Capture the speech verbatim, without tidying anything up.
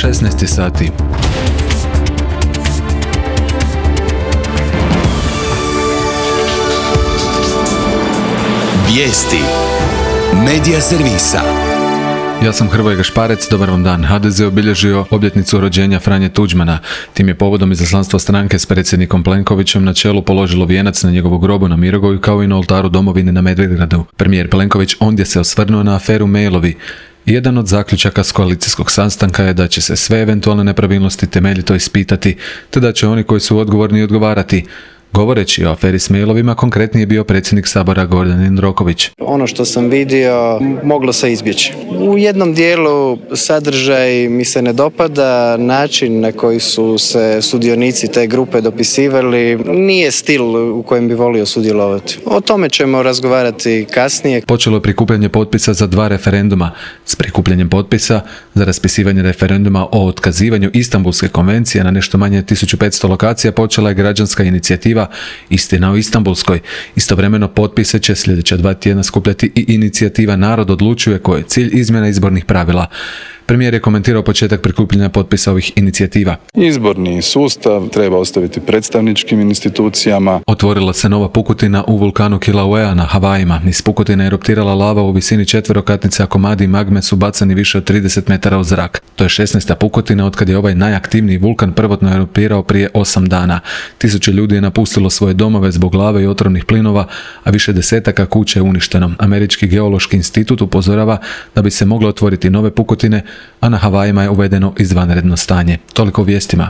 šesnaest sati. Vijesti Medija servisa. Ja sam Hrvoje Gašparec, dobar vam dan. ha de ze obilježio obljetnicu rođenja Franje Tuđmana. Tim je povodom izaslanstva stranke s predsjednikom Plenkovićem na čelu položilo vijenac na njegovu grobu na Mirogoju kao i na oltaru domovine na Medvedgradu. Premijer Plenković ondje se osvrnuo na aferu mailovi. Jedan od zaključaka s koalicijskog sastanka je da će se sve eventualne nepravilnosti temeljito ispitati, te da će oni koji su odgovorni odgovarati. Govoreći o aferi s mailovima, konkretnije je bio predsjednik Sabora Gordan Jandroković. Ono što sam vidio moglo se izbjeći. U jednom dijelu sadržaj mi se ne dopada, način na koji su se sudionici te grupe dopisivali nije stil u kojem bi volio sudjelovati. O tome ćemo razgovarati kasnije. Počelo je prikupljanje potpisa za dva referenduma. S prikupljanjem potpisa za raspisivanje referenduma o otkazivanju Istanbulske konvencije na nešto manje tisuću petsto lokacija počela je građanska inicijativa Istina o Istanbulskoj. Istovremeno potpise će sljedeća dva tjedna skupljati i inicijativa Narod odlučuje, koja je cilj izmjena izbornih pravila. Premijer je komentirao početak prikupljanja potpisa ovih inicijativa. Izborni sustav treba ostaviti predstavničkim institucijama. Otvorila se nova pukotina u vulkanu Kilauea na Havajima. Iz pukotine je eruptirala lava u visini četverokatnice, a komadi magme su bacani više od trideset metara u zrak. To je šesnaesta pukotina otkad je ovaj najaktivniji vulkan prvotno eruptirao prije osam dana. Tisuće ljudi je napustilo svoje domove zbog lave i otrovnih plinova, a više desetaka kuća je uništeno. Američki geološki institut upozorava da bi se mogle otvoriti nove pukotine, a na Havajima je uvedeno izvanredno stanje. Toliko o vijestima.